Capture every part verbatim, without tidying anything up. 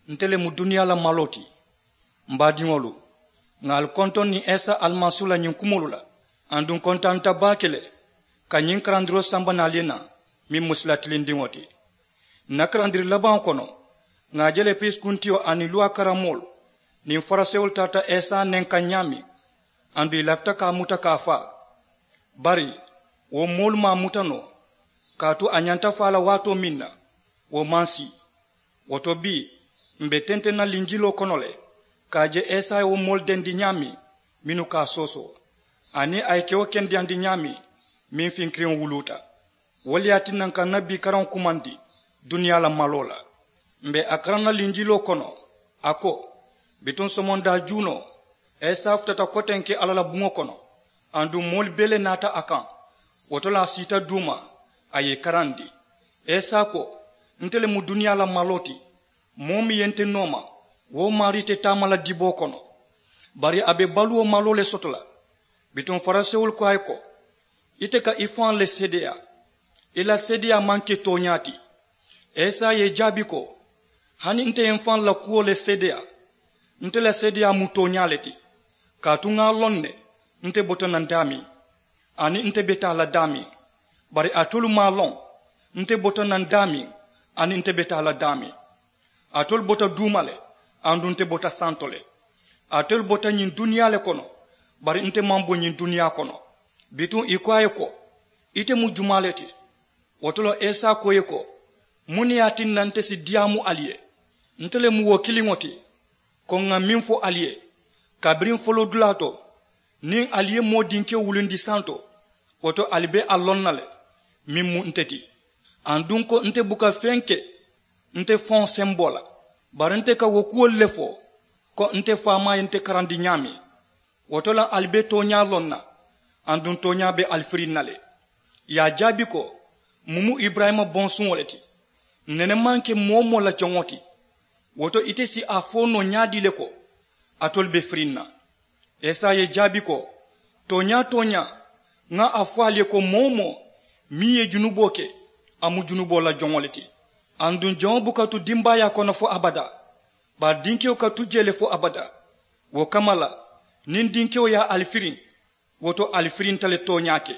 Nte le mu duniyaa la maloo ti. M baadiŋolu, ŋà ali kontoŋ niŋ isa alimasiihu la ñiŋ kumoolu la. Aduŋ kontaanta baake le ka ñiŋ karandiroo samba naŋ ali ye naa, meŋ mu sila tilindiŋo ti. Ǹ na karandiri labaŋo kono, ŋà a je le piriisi kuntiyo aniŋ luwaa karamoolu niŋ farisewolu taata isa nenkaŋ ñaameŋ. Aduŋ ì lafita ka a muta ka a faa. Bari wo moolu maŋ a muta noo, kaatu a ñanta faa la waatoo meŋ na, wo maŋ sii. Wo to bii, m̀ be tenteŋ na linjiloo kono le ka a je isa ye wo moolu dendi ñaameŋ mennu ka a soosoo, aniŋ a ye kewo kendeyandi ñaameŋ meŋ finkiriŋo wuluuta. Wo le ye a tinna ǹ ka ǹ na bii karaŋo kumandi duniyaa la maloo la. M̀ be a karaŋ na linjiloo kono, a ko, bituŋ somondaa juunoo, isa futata kotenke alla la buŋo kono. Aduŋ moolu bee le naata a kaŋ. Wo to le a siita duuma, a ye ì karandi. Isa ko, nte le mu duniyaa la maloo ti. Moo meŋ ye nte nooma, wo maarii te taama la diboo kono. Bari a be baluwo maloo le soto la. Bituŋ farisewolu ko a ye ko, ite ka i faŋ le seedeyaa, i la seedeyaa maŋ ke tooñaa ti. Isa ye ì jaabi ko, hani nte ye m faŋ la kuwo le seedeyaa, nte la seedeyaa mu tooñaa le ti. Kaatu ŋa a loŋ ne, nte bota naŋ daameŋ, aniŋ nte be taa la daameŋ. Bari alitolu maŋ a loŋ, nte bota naŋ daameŋ, aniŋ nte be taa la daameŋ. Alitolu bota duuma le, aduŋ nte bota santo le. Alitolu bota ñiŋ duniyaa le kono, bari nte maŋ bo ñiŋ duniyaa kono. Bituŋ ì ko a ye ko, ite mu jumaa le ti? Wo to le isa ko ì ye ko, muŋ ne ye a tinna nte si diyaamu ali ye? Nte le mu wo kiliŋo ti, ko ŋà meŋ fo ali ye kabiriŋ foloodulaa to, niŋ ali ye moo dinkewo wulindi santo, wo to ali be a loŋ na le, meŋ mu nte ti. Aduŋ ko nte buka feŋ ke nte faŋo semboo la, bari nte ka wo kuwolu le fo, ko nte faamaa ye nte karandi ñaameŋ. Wo to le ali be tooñaa loŋ na, aduŋ tooñaa be ali firiŋ na le. Ì ye a jaabi ko, muŋ mu iburayima bonsuŋo le ti. Nene maŋ ke moo-wo-moo la joŋo ti. Wo to ite si a fo noo ñaadii le ko, alitolu be firiŋ na? Isa ye ì jaabi ko, tooñaa tooñaa, ŋa a fo ali ye ko moo-wo-moo meŋ ye junuboo ke, a mu junuboo la joŋo le ti. Aduŋ joŋo buka tu dimbaayaa kono fo abadaa, bari dinkewo ka tu jee le fo abadaa. Wo kamma la, niŋ dinkewo ye ali firiŋ, wo to ali firinta le tooñaa ke.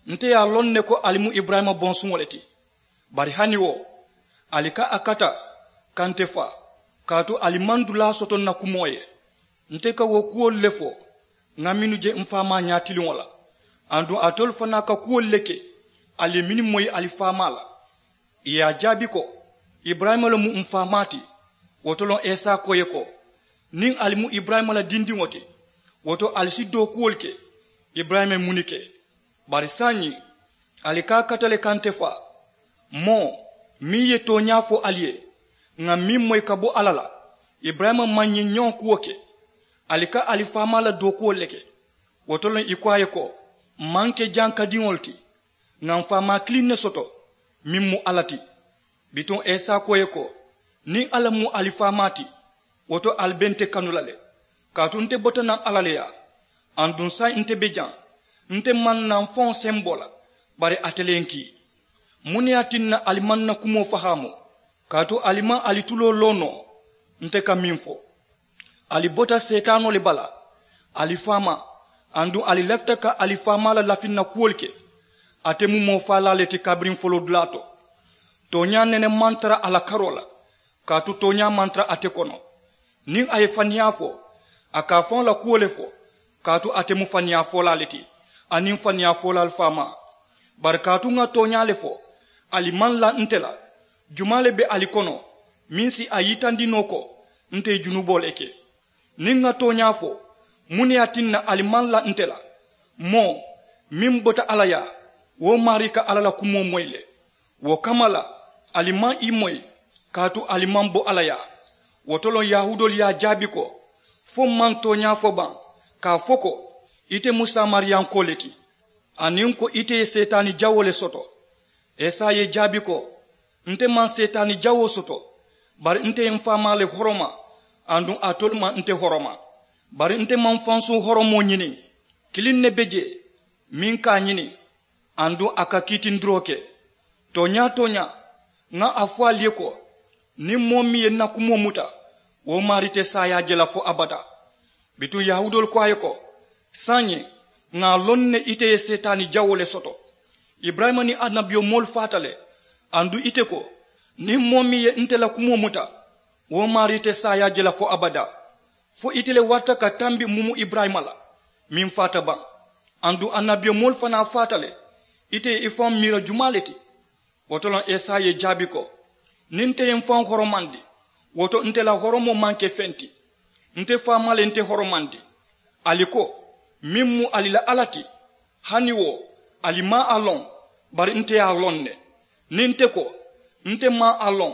Nte ye a loŋ ne ko ali mu iburayima bonsuŋo le ti. Bari hani wo, ali ka a kata ka nte faa, kaatu ali maŋ dulaa soto ǹ na kumoo ye. Nte ka wo kuwolu le fo, ŋa mennu je m faamaa ñaatiliŋo la. Aduŋ alitolu fanaa ka kuwolu le ke, ali ye mennu moyi ali faamaa la. Ì ye a jaabi ko, iburayima le mu m faamaa ti. Wo to le isa ko ì ye ko, niŋ ali mu iburayima la dindiŋo ti, wo to ali si dookuwolu ke. Iburayima ye muŋ ne ke? Bari saayiŋ, ali ka a kata le ka nte faa, moo meŋ ye tooñaa fo ali ye, ŋà meŋ moyi ka bo alla la. Iburayima maŋ ñiŋ ñoo kuwo ke. Ali ka ali faamaa la dookuwolu le ke. Wo to le ì ko a ye ko, m maŋ ke jankadiŋolu ti, ŋà m faamaa kiliŋ ne soto, meŋ mu alla ti. Bituŋ isa ko ì ye ko, niŋ alla mu ali faamaa ti, wo to ali be nte kanu la le. Kaatu nte bota naŋ alla le yaa, aduŋ saayiŋ nte be jaŋ. Nte maŋ naa m faŋo semboo la, bari ate le ye ǹ kii. Muŋ ne ye a tinna ali maŋ ǹ na kumoo fahaamu? Kaatu ali maŋ ali tuloo loo noo nte ka meŋ fo. Ali bota seetaanoo le bala, ali faamaa, aduŋ ali lafita ka ali faamaa la lafinna kuwolu ke. Ate mu moo faalaa le ti kabiriŋ foloodulaa to. Tooñaa nene maŋ tara a la karoo la, kaatu tooñaa maŋ tara ate kono. Niŋ a ye faniyaa fo, a ka a faŋo la kuwo le fo, kaatu ate mu faniyaa foolaa le ti, aniŋ faniyaa foolaalu faamaa. Bari kaatu ŋa tooñaa le fo, ali maŋ la nte la. Jumaa le be ali kono meŋ si a yitandi noo ko nte ye junuboo le ke? Niŋ ŋa tooñaa fo, muŋ ne ye a tinna ali maŋ la nte la? Moo meŋ bota alla yaa, wo maarii ka alla la kumoo moyi le. Wo kamma la, ali maŋ i moyi, kaatu ali maŋ bo alla yaa. Wo to le yahuudoolu ye a jaabi ko, fo m maŋ tooñaa fo baŋ ka a fo ko, ite mu saamariyankoo le ti, aniŋ ko ite ye seetaani jawoo le soto? Isa ye ì jaabi ko, nte maŋ seetaani jawoo soto, bari nte ye m faamaa le horoma, aduŋ alitolu maŋ nte horoma. Bari nte maŋ fansuŋ horomoo ñini. Kiliŋ ne be jee meŋ ka a ñini, aduŋ a ka kiitindiroo ke. Tooñaa tooñaa, ŋa a fo ali ye ko, Niŋ moo meŋ ye n na kumoo muta, wo maarii te saayaa je la fo abadaa. Bituŋ yahuudoolu ko a ye ko, saayiŋ ŋà a loŋ ne ite ye seetaani jawoo le soto. Iburayima niŋ annabiyomoolu faata le. Aduŋ ite ko, niŋ moo meŋ ye nte la kumoo muta, wo maarii te saayaa je la fo abadaa. Fo ite le warata ka tambi mumu iburayima la, meŋ faata baŋ. Aduŋ annabiyomoolu fanaa faata le. Ite ye i faŋo miira jumaa le ti? Wo to loŋ esawu ye jaabi ko, niŋ nte ye m faŋo horomandi, wo to nte la horomoo maŋ ke feŋ ti. Nte faamaa le nte horomandi. Ali ko, meŋ mu ali la alla ti, hani wo ali maŋ a loŋ. Bari nte ye a loŋ ne. Niŋ nte ko, nte maŋ a loŋ,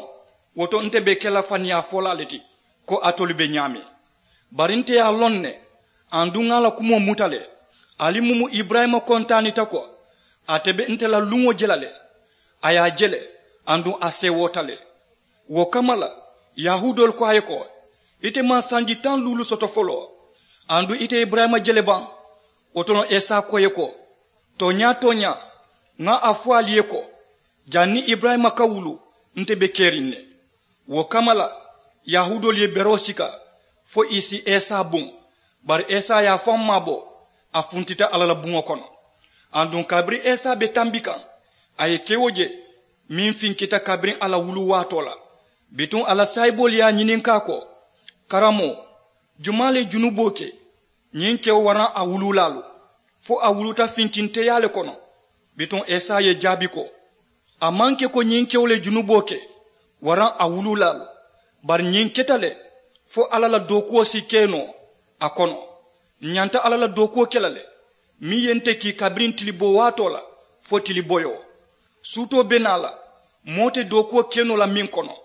wo to nte be ke la faniyaa folaa le ti, ko alitolu be ñaameŋ. Bari nte ye a loŋ ne, aduŋ ŋà a la kumoo muta le. Ali mumu iburayima kontaanita ko, ate be nte la luŋo je la le. A ye a je le, aduŋ a seewoota le. Wo kamma la, yahuudoolu ko a ye ko, ite maŋ sanji taŋ luulu soto foloo, aduŋ ite ye iburayima je le baŋ? Wo to loŋ esawu ko ì ye ko, tooñaa tooñaa, ŋà a fo ali ye ko, janniŋ iburayima ka wuluu, nte be keriŋ ne. Wo kamma la, yahuudoolu ye beroo sika, fo ì si esawu buŋ. Bari esawu ye a faŋo maabo, a funtita alla la buŋo kono. Aduŋ kabiriŋ esawu be tambi kaŋ, a ye kewo je, meŋ finkita kabiriŋ a la wuluu waatoo la. Bituŋ a la saayiboolu ye a ñininkaa ko, karamoo, jumaa le ye junuboo ke, ñiŋ kewo waraŋ a wuluulaalu? Fo a wuluuta finkinteyaa le kono? Bituŋ esawu ye jaabi ko, a maŋ ke ko ñiŋ kewo le ye junuboo ke, waraŋ a wuluulaalu. Bari ñiŋ keta le, fo alla la dookuwo si ke noo a kono. Ǹ ñanta alla la dookuwo ke la le, meŋ ye nte kii kabiriŋ tiliboo waatoo la, fo tiliboyoo. Suutoo be naa la, moo te dookuwo ke noo la meŋ kono.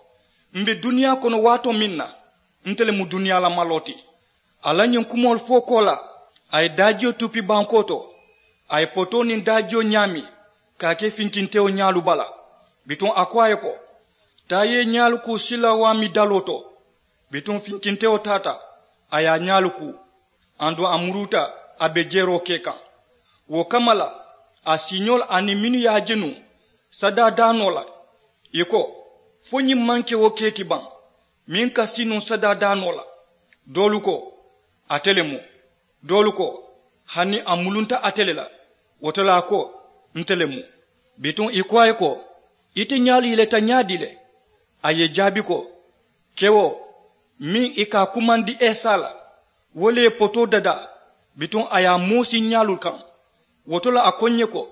M be duniyaa kono waatoo meŋ na, nte le mu duniyaa la maloo ti. A la ñiŋ kumoolu fo koolaa, a ye daajiyo tupi bankoo to. A ye potoo niŋ daajiyo ñaami, ka a ke finkintewo ñaalu bala. Bituŋ a ko a ye ko, taa i ye i ñaalu kuu silawaami daloo to. Bituŋ finkintewo taata, a ye a ñaalu kuu. Aduŋ a muruuta, a be jeroo ke kaŋ. Wo kamma la, a siiñoolu aniŋ mennu ye a je nuŋ sadaa daanoo la, ì ko, fo ñiŋ maŋ ke wo kee ti baŋ, meŋ ka sii nuŋ sadaa daanoo la? Doolu ko, ate le mu. Doolu ko, hani a mulunta ate le la. Wo to le a ko, nte le mu. Bituŋ ì ko a ye ko, ite ñaalu yeleta ñaadii le? A ye ì jaabi ko, kewo, meŋ ì ka a kumandi esawu la, wo le ye potoo dadaa. Bituŋ a ye a moosi ñaalu kaŋ. Wo to le a ko ǹ ye ko,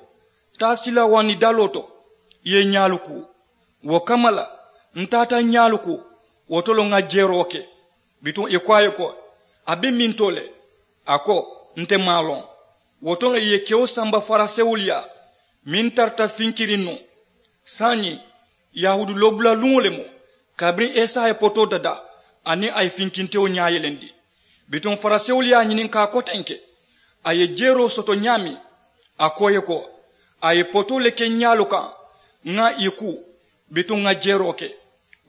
taa silawaani daloo to, i ye i ñaalu kuu. Wo kamma la, ǹ taata ǹ ñaalu kuu. Wo to le ŋà jeroo ke. Bituŋ ì ko a ye ko, a be mintoo le? A ko, nte maŋ a loŋ. Wo to le ì ye kewo samba farisewolu yaa, meŋ tarata finkiriŋ nuŋ. Saayiŋ, yahuudu loobula luŋo le mu, kabiriŋ esawu ye potoo dadaa, aniŋ a ye finkintewo ñaa yelendi. Bituŋ farisewolu ye a ñininkaa kotenke, a ye jeroo soto ñaameŋ. A ko ì ye ko, a ye potoo le ke ǹ ñaalu kaŋ, ŋà ì kuu, bituŋ ŋà jeroo ke.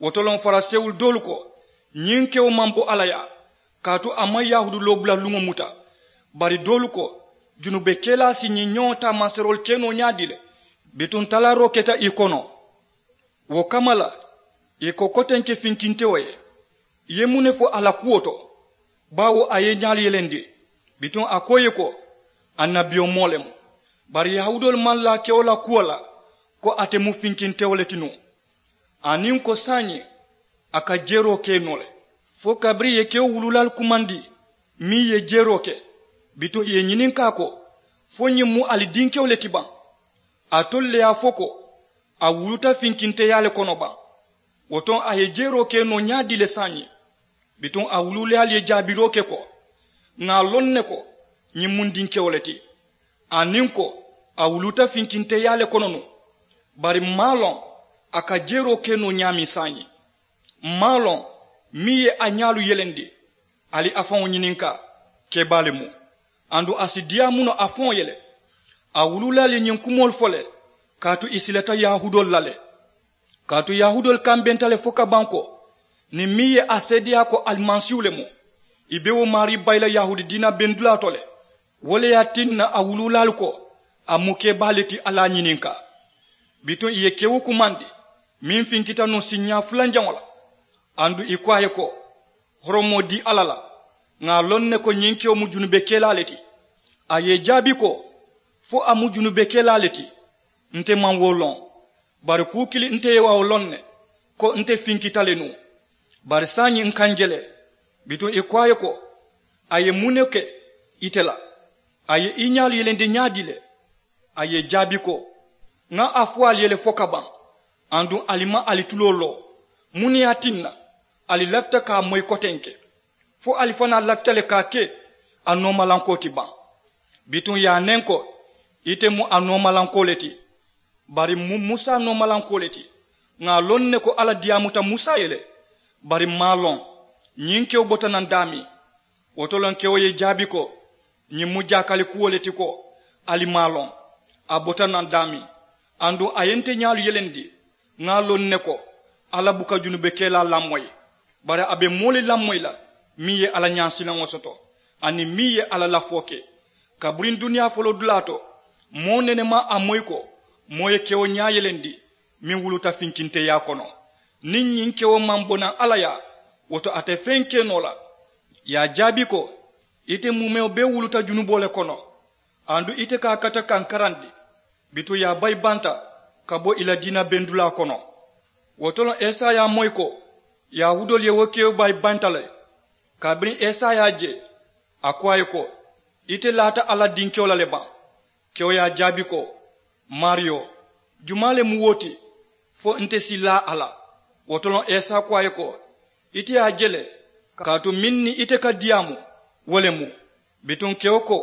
Wo to loŋ farisewolu doolu ko, ñiŋ kewo maŋ bo alla yaa, kaatu a maŋ yahuudu loobula luŋo muta. Bari doolu ko, junube kelaa si ñiŋ ñoŋo taamaseeroolu ke noo ñaadii le? Bituŋ talaaroo keta ì kono. Wo kamma la, ì ko kotenke finkintewo ye, i ye muŋ ne fo a la kuwo to? Baawo a ye i ñaalu yelendi. Bituŋ a ko ì ye ko, annabiyomoo le mu. Bari yahuudoolu maŋ laa kewo la kuwo la, ko ate mu finkintewo le ti nuŋ, aniŋ ko saayiŋ a ka jeroo ke noo le. Fo kabiriŋ ì ye kewo wuluulaalu kumandi, meŋ ye jeroo ke, bituŋ ì ye ñininkaa ko, fo ñiŋ mu ali dinkewo le ti baŋ? Alitolu le ye a fo ko, a wuluuta finkinteyaa le kono baŋ? Wo to a ye jeroo ke noo ñaadii le saayiŋ? Bituŋ a wuluulaalu ye jaabiroo ke ko, ŋà a loŋ ne ko, ñiŋ mu n dinkewo le ti, aniŋ ko, a wuluuta finkinteyaa le kono nuŋ. Bari m maŋ a loŋ a ka jeroo ke noo ñaameŋ saayiŋ. M maŋ a loŋ meŋ ye a ñaalu yelendi. Ali a faŋo ñininkaa, kebaa le mu, aduŋ a si diyaamu noo a faŋo ye le. A wuluulaalu ye ñiŋ kumoolu fo le, kaatu ì silata yahuudoolu la le. Kaatu yahuudoolu kambenta le fo ka baŋ ko, niŋ meŋ ye a seedeyaa ko alimasiihu le mu, ì be wo maarii bayi la yahuudi diina bendulaa to le. Wo le ye a tinna a wuluulaalu ko, a mu kebaa le ti, ali a ñininkaa. Bituŋ ì ye kewo kumandi, meŋ finkita nuŋ siiñaa fulanjaŋo la, Aduŋ ì ko a ye ko, horomoo dii alla la. Ŋà a loŋ ne ko ñiŋ kewo mu junubekelaa le ti. A ye ì jaabi ko, fo a mu junubekelaa le ti. Nte maŋ wo loŋ. Bari kuu kiliŋ nte ye a wo loŋ ne, ko nte finkita le nuŋ. Bari saayiŋ n kaŋ je le. Bituŋ ì ko a ye ko, a ye muŋ ne ke ite la? A ye i ñaalu yelendi ñaadii le? A ye ì jaabi ko, ŋa a fo ali ye le fo ka baŋ. Aduŋ ali maŋ ali tuloo loo. Muŋ ne ye a tinna ali lafita ka a moyi kotenke? Fo ali fanaa lafita le ka a ke a noomalankoo ti baŋ? Bituŋ ì ye a neŋ ko, ite mu a noomalankoo le ti. Bari m mu musa noomalankoo le ti. Ŋà a loŋ ne ko alla diyaamuta musa ye le. Bari m maŋ a loŋ. Ñiŋ kewo bota naŋ daameŋ? Wo to loŋ kewo ye ì jaabi ko, ñiŋ mu jaakali kuwo le ti ko, ali maŋ a loŋ. A bota naŋ daameŋ? Aduŋ a ye nte ñaalu yelendi. Ŋà a loŋ ne ko, alla buka junubekelaa lamoyi. Bari a be moo le lamoyi la, meŋ ye alla ñaasilaŋo soto, aniŋ meŋ ye alla lafoo ke. Kabiriŋ duniyaa foloodulaa to, moo nene maŋ a moyi ko moo ye kewo ñaa yelendi, meŋ wuluta finkinteyaa kono. Niŋ ñiŋ kewo maŋ bo naŋ alla yaa, wo to a te feŋ ke noo la. Ì ye a jaabi ko, ite muumewo bee wuluta junuboo le kono. Aduŋ ite ka a kata ka n karandi. Bituŋ ì ye a bayi banta ka bo ì la diina bendulaa kono. Wo to loŋ esa ye a moyi ko, yahuudoolu ye wo kewo bayi banta le. Kabiriŋ esa ye a je, a ko a ye ko, ite laata alla dinkewo la le baŋ? Kewo ye a jaabi ko, maariyo, jumaa le mu wo ti, fo nte si laa a la? Wo to loŋ esa ko a ye ko, ite ye a je le, kaatu meŋ niŋ ite ka diyaamu, wo le mu. Bituŋ kewo ko,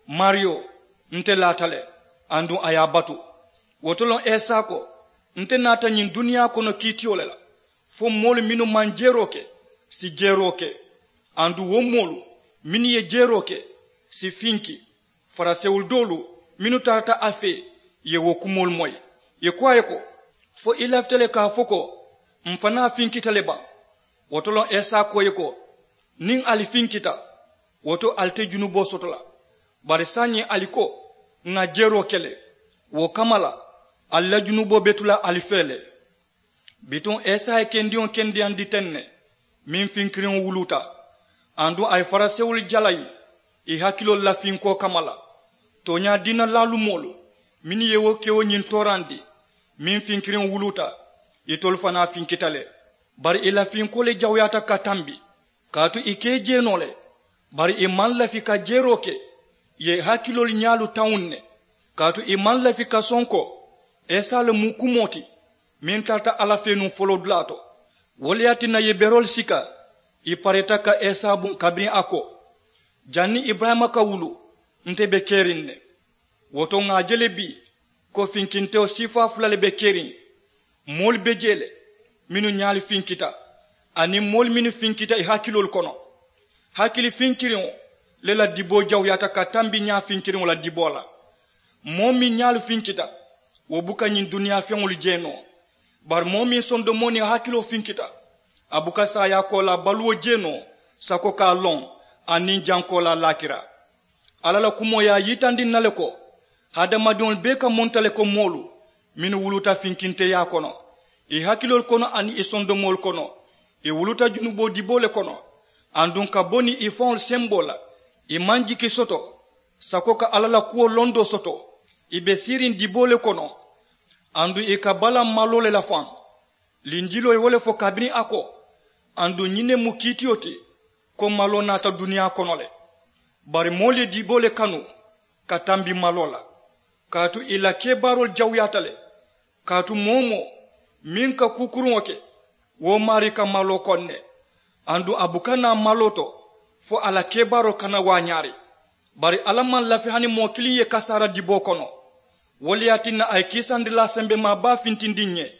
maariyo, nte laata le. Aduŋ a ye a batu. Wo to loŋ esa ko, nte naata ñiŋ duniyaa kono kiitiyo le la, fo moolu mennu maŋ jeeroo ke si jeeroo ke. Aduŋ wo moolu mennu ye jeeroo ke si finki. Farisewolu doolu mennu tarata a fee, ì ye wo kumoolu moyi. Ì ko a ye ko, fo i lafita le ka a fo ko, m fanaa finkita le baŋ? Wo to loŋ esa ko ì ye ko, niŋ ali finkita, wo to ali te junuboo soto la. Bari saayiŋ ali ko, ŋà jeeroo ke le. Wo kamma la, ali la junuboo be tu la ali fee le. Bituŋ esa ye kendiŋo kendeyandi teŋ ne, meŋ finkiriŋo wuluta. Aduŋ a ye farisewolu jalayi ì hakiloolu la finkoo kamma la. Tooñaa diina laalumoolu mennu ye wo kewo ñiŋ toorandi, meŋ finkiriŋo wuluta, itolu fanaa finkita le. Bari ì la finkoo le jawuyaata ka tambi, kaatu ì ka ì jee noo le. Bari ì maŋ lafi ka jeeroo ke, ì ye ì hakiloolu ñaalu tawuŋ ne. Kaatu ì maŋ lafi ka sonkoo, esa le mu kumoo ti, meŋ tarata alla fee nuŋ foloodulaa to. Wo le ye a tinna ì ye beroolu sika, ì pareeta ka esa buŋ kabiriŋ a ko, janniŋ iburayima ka wulu, nte be keriŋ ne. Wo to ŋà a je le bii, ko finkintewo siifaa fula le be keriŋ. Moolu be jee le, mennu ñaalu finkita, aniŋ moolu mennu finkita ì hakiloolu kono. Hakili finkiriŋo le la diboo jawuyaata ka tambi ñaa finkiriŋo la diboo la. Moo meŋ ñaalu finkita, wo buka ñiŋ duniyaa feŋolu jee noo. Bari moo meŋ sondomoo niŋ a hakiloo finkita, a buka saayaa koolaa baluwo jee noo, sako ka a loŋ, aniŋ jankoolaa laakira. Alla la kumoo ye a yitandi n na le ko, hadamadiŋolu bee ka munta le ko moolu mennu wuluta finkinteyaa kono, ì hakiloolu kono aniŋ ì sondomoolu kono. Ì wuluta junuboo diboo le kono. Aduŋ ka bo niŋ ì faŋolu semboo la, ì maŋ jiki soto, sako ka alla la kuwo londoo soto. Ì be siiriŋ diboo le kono. Aduŋ ì ka balaa maloo le la faŋ. Linjiloo ye wo le fo kabiriŋ a ko, aduŋ ñiŋ ne mu kiitiyo ti, ko maloo naata duniyaa kono le. Bari moolu ye diboo le kanu ka tambi maloo la, kaatu ì la kebaaroolu jawuyaata le. Kaatu moo-wo-moo meŋ ka kuu kuruŋo ke, wo maarii ka maloo koŋ ne. Aduŋ a buka naa maloo to, fo a la kebaaroo kana waañaari. Bari alla maŋ lafi hani moo kiliŋ ye kasaara diboo kono. Wo le ye a tinna a ye kiisandilaa sembemaa baa fintindi ǹ ye.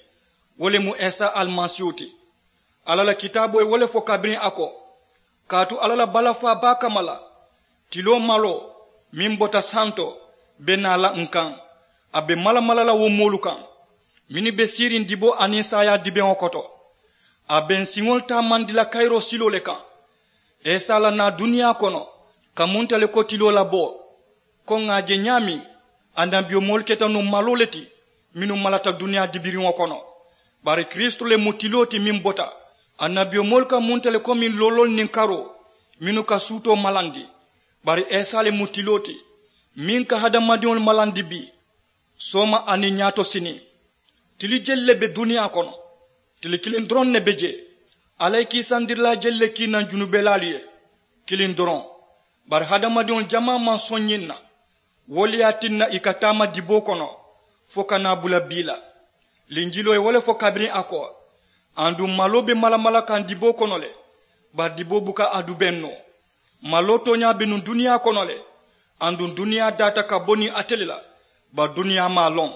Wo le mu isa alimasiihu ti. Alla la kitaaboo ye wo le fo kabiriŋ a ko, kaatu alla la balafaa baa kamma la, tiloo maloo meŋ bota santo be naa la ǹ kaŋ. A be malamala la wo moolu kaŋ mennu be siiriŋ diboo aniŋ saayaa dibeŋo koto. A be ǹ siŋolu taamandi la kayiroo siloo le kaŋ. Isa la naa duniyaa kono ka munta le ko tiloo la boo. Ko ŋà a je ñaameŋ, annabiyomoolu keta nuŋ maloo le ti mennu malata duniyaa dibiriŋo kono. Bari kiristu le mu tiloo ti meŋ bota Annabiyomoolu ka munta le komi looloolu niŋ karoo mennu ka suutoo malandi. Bari isa le mu tiloo ti meŋ ka hadamadiŋolu malandi bii, sooma aniŋ ñaato siniŋ. Tili jelu le be duniyaa kono? Tili kiliŋ doroŋ ne be jee. Alla ye kiisandirilaa jelu le kii naŋ junubelaalu ye? Kiliŋ doroŋ. Bari hadamadiŋo jamaa maŋ soŋ ñiŋ na. Wo le ye a tinna ì ka taama diboo kono fo ka naa bula bii la. Linjiloo ye wo le fo kabiriŋ a ko, aduŋ maloo be malamala kaŋ diboo kono le, bari diboo buka a dubeŋ noo. Maloo tooñaa be nuŋ duniyaa kono le, aduŋ duniyaa daata ka bo niŋ ate le la, bari duniyaa maŋ a loŋ.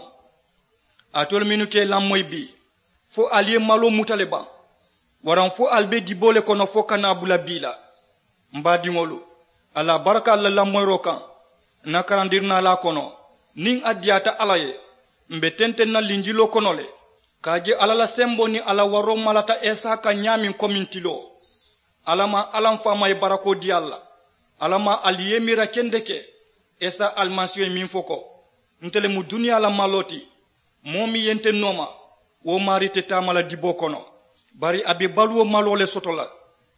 Alitolu mennu ka ì lamoyi bii, fo ali ye maloo muta le baŋ? Waraŋ fo ali be diboo le kono fo ka naa bula bii la? M baadiŋolu, alla baraka ali la lamoyiroo kaŋ. N na karandirinaalaa kono, niŋ a diyaata alla ye, m be tenteŋ na linjiloo kono le, ka a je alla la semboo niŋ a la waroo malata isa kaŋ ñaameŋ komi tiloo. Alla maŋ alla m faama ye barakoo dii ali la. Alla maŋ ali ye miira kendeke isa alimasiihu ye meŋ fo ko, nte le mu duniyaa la maloo ti. Moo meŋ ye nte nooma, wo maarii te taama la diboo kono, bari a be baluwo maloo le soto la.